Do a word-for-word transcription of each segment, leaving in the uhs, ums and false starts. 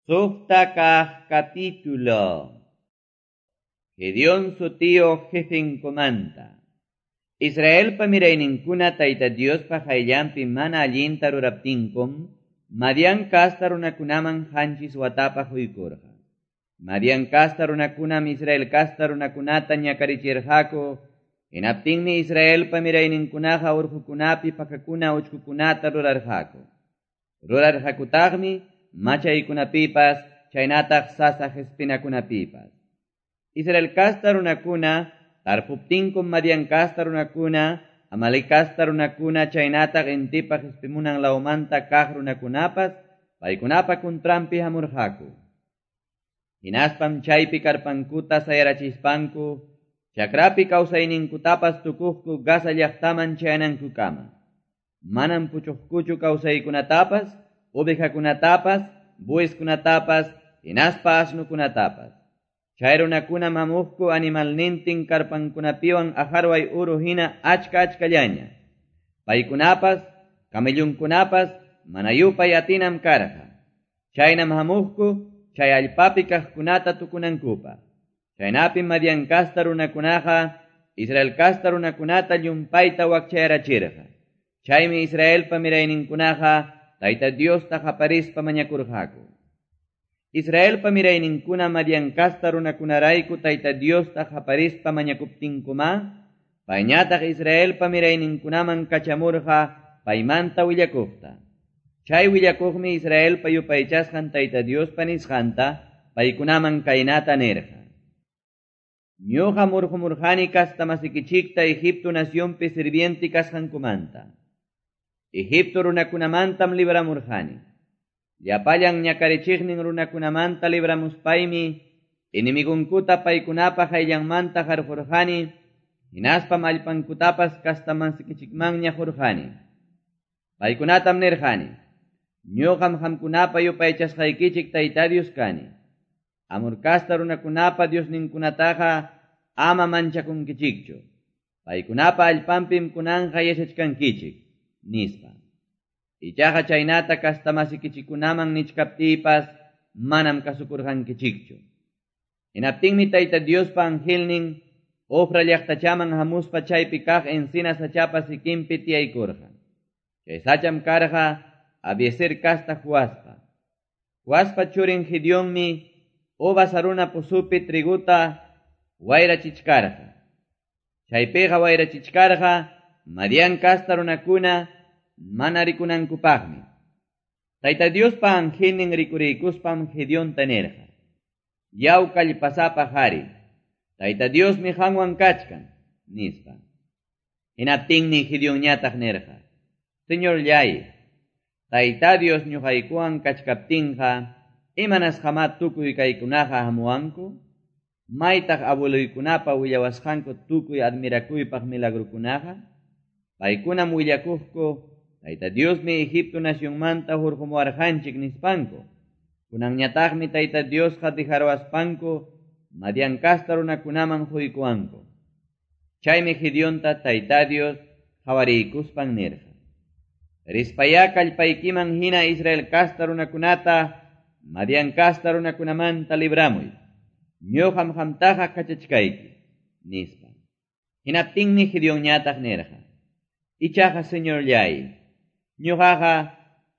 Suqta kaq capítulo. Gedeón sutiyuq jefenkumanta. Israelpa mirayninkuna Tayta Diospa qayllanpi mana allinta ruraptinkum, Madián kasta runakunaman qanchis watapaq quykurqa. Madián kasta runakunam Israel kasta runakunata ñakarichirqaku, hinaptinmi Israelpa mirayninkunaqa urqukunapi pakakuna uchkukunata rurarqaku. Rurarqakutaqmi machaykunapipas, chaynataq sasa q'ispinakunapipas. Israel kasta runakuna, tarpuptinkum Madián kasta runakuna, Amalek kasta runakuna, chaynataq intipa q'ispimunan lawmanta kaq runakunapas, paykunapa kuntranpi hamurqaku. Hinaspam chaypi karpankuta sayarachispanku, chakrapi kawsayninkutapas tukuqku Gaza llaqtaman chayanankukama. Manam puchuqkuchu kawsaykunatapas, ovejakunatapas, bueyeskunatapas, hinaspa asnukunatapas. Chay runakunam hamuqku animalnintin karpankunapiwan ajarway uru hina achka achkallaña. Paykunapas, camellunkunapas, mana yupay atinam karqa. Chaynam hamuqku, chay allpapi kaqkunata tukunankupaq. Chaynapim Madián kasta runakunaqa, Israel kasta runakunata llumpayta wakchayarachirqa. Chaymi Israelpa mirayninkunaqa Tayta Diosta qaparispa mañakurqaku. Israelpa mirayninkuna Madián kasta runakunarayku Tayta Diosta qaparispa mañakuptinkuma, payñataq Israelpa mirayninkunaman kachamurqa paymanta willakuqta. Chay willakuqmi Israelpa yupaychasqan Tayta Diospa nisqanta paykunaman kaynata nirqa. Ñuqa murqumurqani kasta masikichikta Egipto nacionpi sirviente kasqankumanta. Egipto runakunamantam libramurqani. Llapallan ñakarichiqnin runakunamanta libramuspaymi, enemigunkuta paykunapa qayllanmanta qarqurqani, hinaspam allpankutapas kastamasikichikmanña qurqani. Paykunatam nirqani, ñuqam qamkunapa yupaychasqaykichik Tayta Dios kani. Amor kasta runakunapa Diosninkunataqa ama manchakunkichikchu. Paykunapa allpanpim kunanqa yachachkankichik, nispa. Ichaqa chaynata kastamasikichikunaman nichkaptiypas manam kasukurqankichikchu. Hinaptinmi Tayta Diospa angelnin Ofra llaqtachaman hamuspa chaypi kaq encina sachapa sikinpi tiyaykurqa. Chay sacham karqa Abiezer kasta Joaspa. Joaspa churin Gedeonmi uvas haruna pusupi triguta wayrachichkarqa. Chaypiqa wayrachichkarqa Madián kasta runakuna mana rikunankupaqmi. Tayta Diospa angelnin rikuriykuspam Gedeonta nirqa. Yaw kallpasapa qhari, Tayta Diosmi qanwan kachkan, nispa. Hinaptinmi Gedeonñataq nirqa. Señorllay, Tayta Dios ñuqaykuwan kachkaptinqa, imanasqamá tukuy kaykunaqa hamuwanku? Maytaq abueluykunapa willawasqanku tukuy admirakuypaq milagrukunaqa? Paykunam willakuqku, Tayta Diosmi Egipto nacionmanta hurqumuwarqanchik nispanku. Kunanñataqmi Tayta Diosqa dijaruwaspanku Madián kasta runakunaman quykuwanku. Chaymi Gedeonta Tayta Dios qawariykuspan nirqa. Rispayá kallpaykiman hina Israel kasta runakunata Madián kasta runakunamanta libramuy. Ñuqam qamtaqa kachachkayki, nispa. Hinaptinmi Gedeonñataq nirqa. Ichaqa Señorllay, ñuqaqa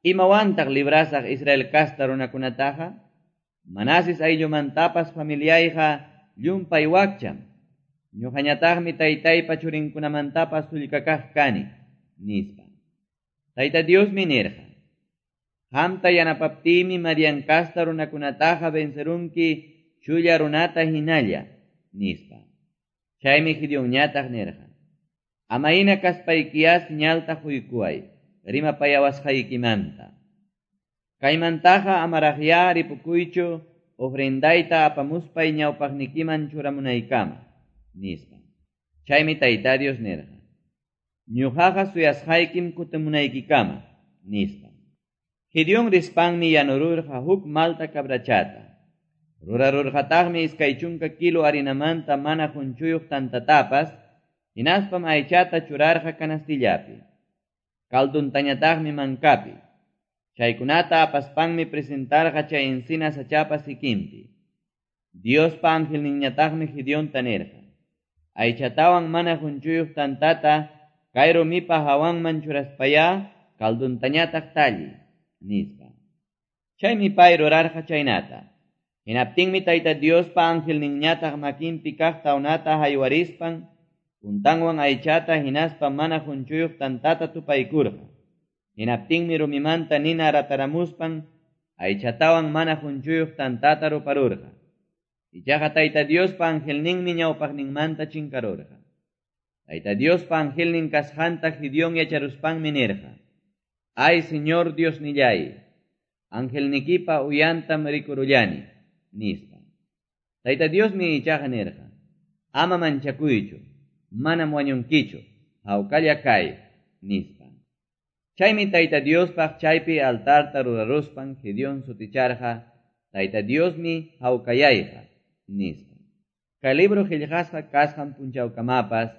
imawantaq librasaq Israel kasta runakunataqa? Manases ayllumantapas familiayqa llumpay wakcham. Ñuqañataqmi taytaypa churinkunamantapas sullkakaq kani, nispa. Tayta Diosmi nirqa. Qamta yanapaptiymi Madián kasta runakunataqa vencerunki chulla runata hinalla, nispa. Chaymi Gedeonñataq nirqa. Amayna kaspaykiyá señalta quykuway, rimapayawasqaykimanta. Kaymantaqa amaraqyá ripukuychu ofrendayta apamuspay ñawpaqnikiman churamunaykama, nispa. Chaymi Tayta Dios nirqa. Ñuqaqa suyasqaykim kutimunaykikama, nispa. Gedeón rispanmi yanururqa huk malta cabrachata. Rurarurqataqmi iskay chunka kilo harinamanta mana qunchuyuq tantatapas, hinaspam aychata churarqa canastillapi. Kalduntañataqmi mankapi. Chaykunata apaspanmi presentarqa chay encina sachapa sikinpi. Diospa angelninñataqmi Gedeonta nirqa: Aychatawan mana qunchuyuq tantata kay rumipa hawanman churaspayá calduntañataq talli, nispa. Chaymi pay rurarqa chaynata. Hinaptinmi Tayta Diospa angelninñataq makinpi kaq tawnata haywarispan puntanwan aychata hinaspa mana qunchuyuq tantata tupaykurqa. Hinaptinmi rumimanta nina rataramuspan aychatawan mana qunchuyuq tantata ruparurqa. Ichaqa Tayta Diospa angelninmi ñawpaqninmanta chinkarurqa. Tayta Diospa angelnin kasqanta Gedeón yacharuspanmi nirqa: Ay, Señor Diosnillay, angelnikipa uyantam rikurullani, nispa. Tayta Diosmi ichaqa nirqa: Ama manchakuychu, manam wañunkichu, hawkalla kay, nispa. Chaymi Tayta Diospaq chaypi altarta ruraruspan Gedeón suticharqa: Tayta Diosmi hawkayayqa, nispa. Kay libro qillqasqa kasqan punchawkamapas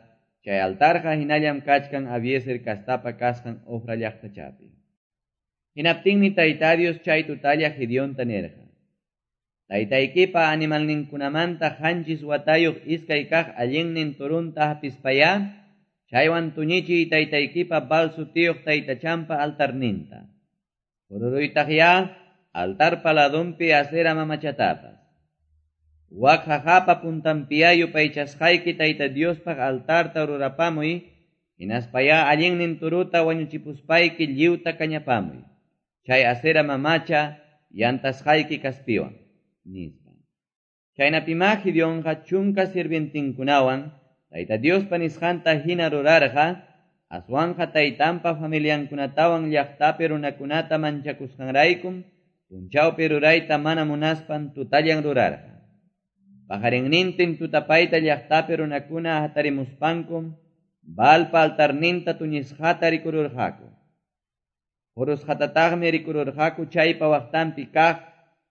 chay altarqa hinallam kachkan Abiezer kastapa kasqan Ofra llaqtachapi. Hinaptinmi Tayta Dios chay tutalla Gedeonta nirqa: Taytaykipa animalninkunamanta qanchis watayuq iskay kaq allinnin turunta hapispayá, chaywan tuñichiy taytaykipa Baal sutiyuq taytachanpa altarninta. Qururuytaqyá altarpa ladunpi Asera mamachatapas. Wak jajapa puntanpiyá yupaychasqayki Tayta Diospaq altarta rurapamuy, hinaspayá allinnin turuta wañuchipuspayki lliwta kañapamuy. Chay Asera mamacha yantasqayki kaspiwan, nispa. Chaynapimá Gedeonqa chunka sirvientinkunawan Tayta Diospa nisqanta hina rurarqa, aswanqa taytanpa familiankunatawan llaqtapi runakunata manchakusqanraykum punchawpi rurayta mana munaspan tutallan rurarqa. Pajarinnintin tutapayta llaqtapi runakuna hatarimuspankum Baalpa altarninta tuñisqata rikururqaku. Qurusqatataqmi rikururqaku chaypa waqtanpi kaq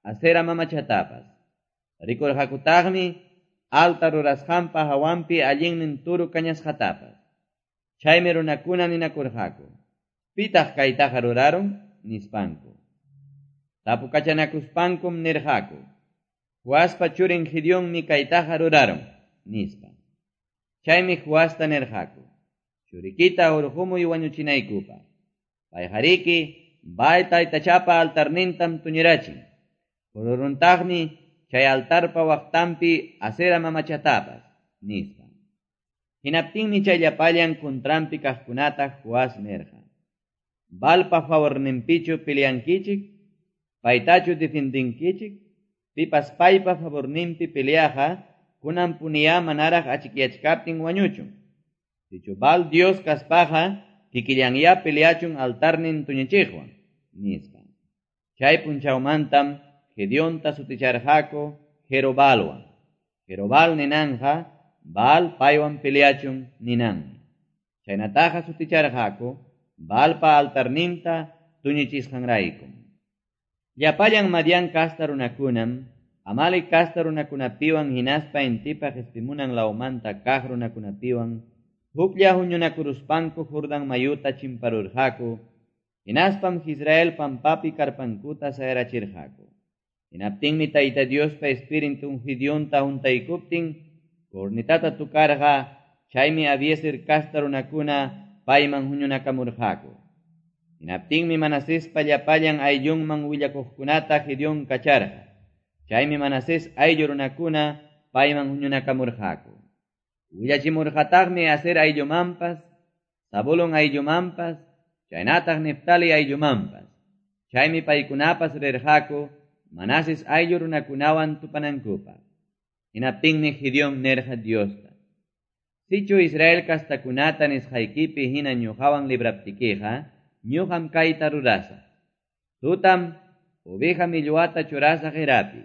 Asera mamachatapas. Rikurqakutaqmi altar rurasqanpa hawanpi allinnin turu kañasqatapas. Chaymi runakuna ninakurqaku: Pitaq kaytaqa rurarun, nispanku. Tapukachanakuspankum nirqaku: Joaspa churin Gedeonmi kaytaqa rurarun, nispa. Chaymi Joasta nirqaku: Churikita hurqumuy wañuchinaykupaq. Payqariki Baal taytachapa altarnintam tuñirachin. Qururuntaqmi chay altarpa waqtanpi Asera mamachatapas, nispa. Hinaptinmi chay llapallan kuntranpi kaqkunata Joas nirqa: Baalpa favorninpichu peleankichik, paytachu defendinkichik, pipas paypa favorninpi peleaqa kunan puniyá manaraq achikyachkaptin wañuchun. Sichu Baal Dios kaspaqa kikillanyá peleachun altarnin tuñichiqwan, nispa. Chay punchawmantam Gedeonta suticharqaku Jerobaalwan. Jerobaal ninanja Baal paywan peleachun ninanmi. Chaynataqa suticharqaku Baalpa altarninta tuñichisqanraykum. Llapallan Madián kasta runakunam, Amalek kasta runakunapiwan hinaspa intipa qispimunan lawmanta kaq runakunapiwan huklla huñunakuruspanku Jordán mayuta chimparurqaku, hinaspam Israel pampapi karpankuta sayarachirqaku. Hinaptinmi Tayta Diospa Espiritun Gedeonta huntaykuptin cornetata tukarqa, chaymi Abiezer kasta runakuna payman huñunakamurqaku. Hinaptinmi Manasespa llapallan ayllunman willakuqkunata Gedeón kacharqa. Chaymi Manasés ayllu runakuna payman huñunakamurqaku. Willachimurqataqmi Aser ayllumanpas, Zabulón ayllumanpas, chaynataq Neftali ayllumanpas. Chaymi paykunapas rirqaku Manases ayllu runakunawan tupanankupaq. Hinaptinmi Gedeón nirqa Diosta: Sichu Israel kastakunata nisqaykipi hina ñuqawan libraptikiqa, ñuqam kayta rurasaq. Tutam oveja millwata churasaq erapi.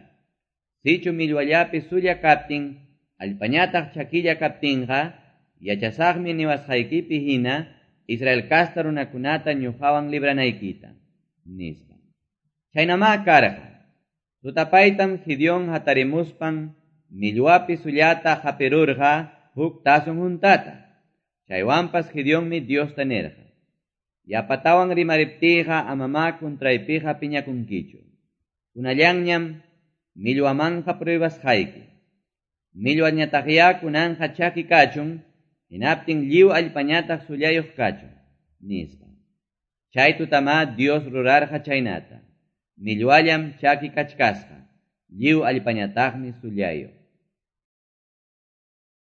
Sichu millwallapi sulla kaptin, allpañataq chakilla kaptinqa, yachasaqmi niwasqaykipi hina Israel kasta runakunata ñuqawan libranaykita, nispa. Chaynamá karqa. Tutapaytam Gedeón hatarimuspan millwapi sullata hapirurqa huk tazon juntata. Chaywanpas Gedeonmi Diosta nirqa: Yapatawan rimariptiyqa amamá contraypiqa piñakunkichu. Kunallanñam millwamanqa pruebasqayki. Millwañataqyá kunanqa chaki kachun, hinaptin lliw allpañataq sullayuq kachun, nispa. Chay tutamá Dios rurarqa chaynata. Millwallam chaki kachkasqa, lliw allpañataqmi sullayuq.